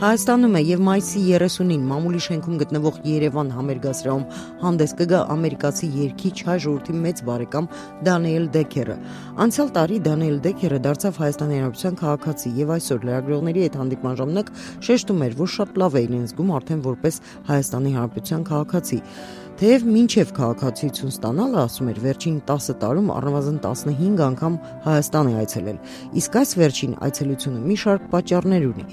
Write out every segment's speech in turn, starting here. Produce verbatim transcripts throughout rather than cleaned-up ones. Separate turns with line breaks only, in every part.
Հայաստանում է եւ մայիսի երեսունին մամուլի շենքում գտնվող Երևան համերգասրահում հանդես կգա ամերիկացի երգիչ հայ ժողովրդի մեծ բարեկամ Դանիել Դեքերը։ Անցյալ տարի Դանիել Դեքերը դարձավ Հայաստանի Հանրապետության քաղաքացի եւ այսօր լրագրողների հետ հանդիպման ժամանակ շեշտում էր, որ շատ լավ է իրեն զգում արդեն որպես Հայաստանի Հանրապետության քաղաքացի։ Թեև մինչև քաղաքացիություն ստանալը, ասում էր, վերջին տասը տարում առնվազն տասնհինգ անգամ Հայաստան է այցելել, իսկ այս վերջին այցելությունը մի շարք պատճառներ ունի,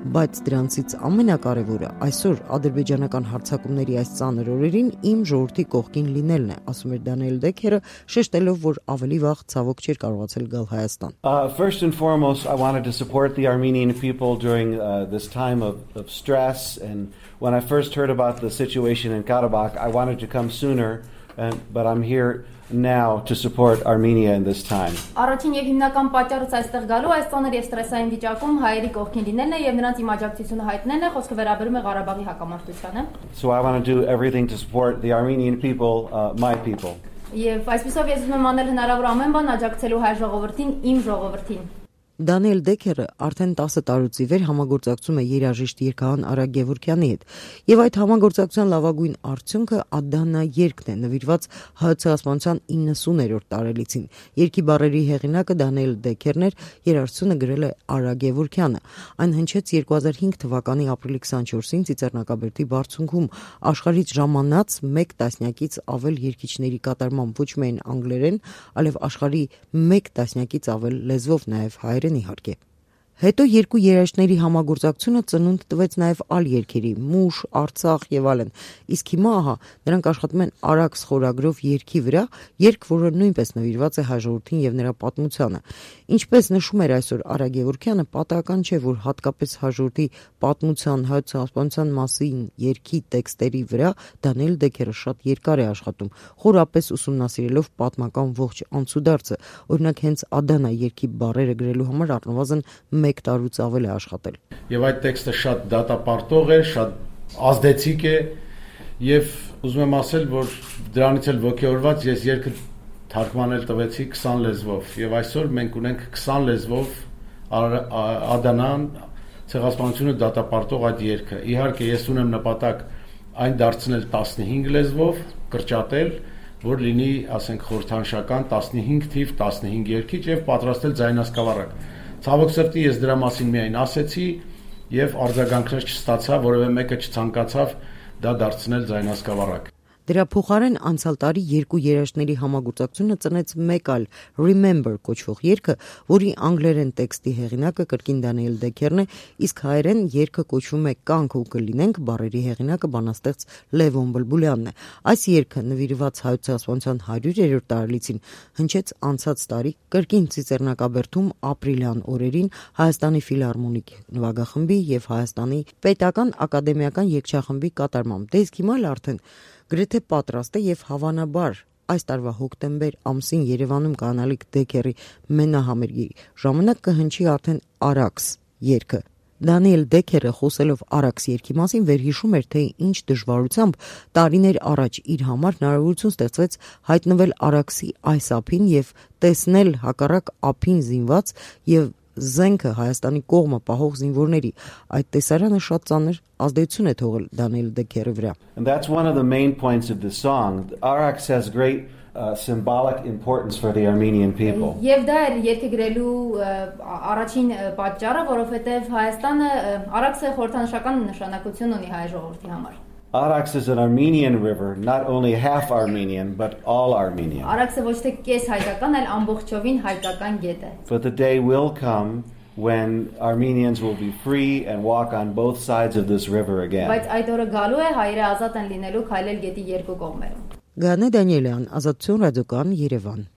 բայց դրանցից ամենակարևորը այսօր ադրբեջանական հարձակումների այս ծանր օրերին իմ ժողովրդի կողքին լինելն է, ասում էր Դանիել Դեքերը, շեշտելով, որ ավելի վաղ ցավոք չէր կարողացել գալ Հայաստան։
Uh, first and foremost, I wanted to support the Armenian people during uh, this time of, of stress, and when I first heard about the situation in Karabakh, I wanted to come sooner, and, but I'm here now to support Armenia in this time.
Առաջին եւ հիմնական պատճառը այստեղ գալու այս ծանր եւ ստրեսային վիճակում հայերի կողքին լինելն է եւ նրանց իմ աջակցությունը հայտնելն է, խոսքը վերաբերում է Ղարաբաղի հակամարտությանը։
So I want to do everything to support the Armenian people, uh, my people.
Եվ այսպեսով ես ուզում եմ անել հնարավոր ամեն բան աջակցելու հայ ժողովրդին, իմ ժողովրդին։
Դանիել Դեքերը արդեն տասը տարուց ի վեր համագործակցում է երաժիշտ երգահան Արա Գևորգյանի հետ, եւ այդ համագործակցության լավագույն արդյունքը Ադանա երգն է, նվիրված հայ ցեղասպանության իննսուներորդ տարելիցին։ Երգի բառերի հեղինակը Դանիել Դեքերն էր, երաժշտությունը գրել է Արա Գևորգյանը։ Այն հնչեց երկու հազար հինգ թվականի ապրիլի քսանչորսին Ծիծեռնակաբերդի բարձունքում, աշխարհից ժամանած մեկ տասնյակից ավել երգիչների կատարմամբ, ոչ միայն անգլերեն, այլև աշխարհի մեկ տասնյակից ավել լեզվով, նաեւ հայերեն իհարկե։ Հետո երկու երաժիշտների համագործակցությունը ծնունդ տվեց նաև այլ երգերի՝ Մուշ, Արցախ եւ այլն։ Իսկ հիմա ահա նրանք աշխատում են Արաքս խորագրով երգի վրա, երգ, որը նույնպես նվիրված է հայ ժողովրդին եւ նրա պատմությանը։ Ինչպես նշում էր այսօր Արա Գևորգյանը, պատահական չէ, որ հատկապես հայ ժողովրդի պատմության, հայ ցեղասպանության մասին երգի տեքստերի վրա Դանիել Դեքերը շատ երկար է աշխատում, խորապես ուսումնասիրելով պատմական ողջ անցուդարձը։ Օրինակ հենց Ադանա երգի բառերը գրելու համար առնվազն մեկ տարուց ավել է աշխատել։
Եվ այդ տեքստը շատ դատապարտող է, շատ ազդեցիկ է, եւ ուզում եմ ասել, որ դրանից էլ ոգեորված ես երգը թարգմանել տվեցի քսան լեզվով, եւ այսօր մենք ունենք քսան լեզվով Ադանան ցեղասպանությունը դատապարտող այդ երգը։ Իհարկե ես ունեմ նպատակ այն դարձնել տասնհինգ լեզվով, կրճատել, որ լինի, ասենք, խորհրդանշական տասնհինգ թիվ տասնհինգ երգիչ եւ պատրաստել ձայնասկավառակ։ Ցավոք սրտի ես դրա մասին միայն ասեցի եւ արձագանքներ չստացա, որովհետեւ մեկը չցանկացավ դա դարձնել ձայնասկավառակ։
Դրա փոխարեն անցյալ տարի երկու երաժիշտների համագործակցությունը ծնեց մեկ այլ Remember կոչվող երգը, որի անգլերեն տեքստի հեղինակը կրկին Դանիել Դեքերն է, իսկ հայերեն երգը կոչվում է Կանք ու կլինենք, բառերի հեղինակը բանաստեղծ Լևոն Բլբուլյանն է։ Այս երգը նվիրված հայ ցեղասպանության հարյուրերորդ տարելիցին հնչեց անցած տարի կրկին Ծիծեռնակաբերդում ապրիլյան օրերին Հայաստանի ֆիլհարմոնիկ նվագախմբի եւ Հայաստանի պետական ակադեմիական երգչախմբի կատարմամբ։ Դե իսկ հիմա արդեն գրեթե պատրաստ է եւ հավանաբար այս տարվա հոկտեմբեր ամսին Երևանում կանալիք Դեքերի մենահամերգի ժամանակ կհնչի արդեն Արաքս երգը։ Դանիել Դեքերը խոսելով Արաքս երգի մասին վերհիշում էր, թե ինչ դժվարությամբ տարիներ առաջ իր համար հնարավորություն ստեղծվեց հայտնվել Արաքսի այս ափին եւ տեսնել հակառակ ափին զինված եւ զենքը Հայաստանի կողմը պահող զինվորների։ Այդ տեսարանը շատ ծանր ազդեցություն է թողել Դանիել Դեքերի վրա։
And that's one of the main points of the song. Araks has great uh, symbolic importance for the Armenian people.
Եվ դա էր երգը գրելու առաջին պատճառը, որովհետև Հայաստանը Արաքսը խորհրդանշական նշանակություն ունի հայ ժողովրդի համար։
Araks is an Armenian river, not only half Armenian, but all Armenian.
Արաքսը ոչ թե կես հայկական, այլ ամբողջովին հայկական գետ է։
But the day will come when Armenians will be free and walk on both sides of this river again.
Բայց այդ օրը գալու է հայերը ազատ են լինելու քայլել գետի երկու կողմերում։
Գանե Դանիելյան, Ազատություն ռադիոկան, Երևան։